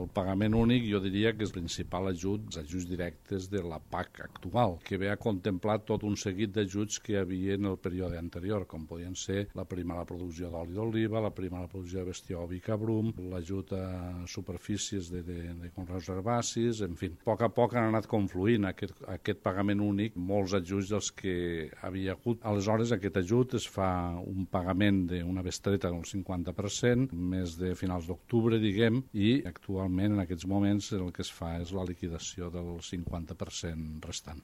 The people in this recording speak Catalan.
El pagament únic jo diria que és el principal ajut, els ajuts directes de la PAC actual, que ve a contemplar tot un seguit d'ajuts que hi havia en el període anterior, com podien ser la prima a la producció d'oli d'oliva, la prima a la producció de bestiar oví cabrum, l'ajut a superfícies de conreus herbacis, en fi. A poc han anat confluint aquest pagament únic, molts ajuts dels que havia hagut. Aleshores, aquest ajut es fa un pagament d'una bestreta del 50%, més de finals d'octubre, diguem, i actualment, en aquests moments, el que es fa és la liquidació del 50% restant.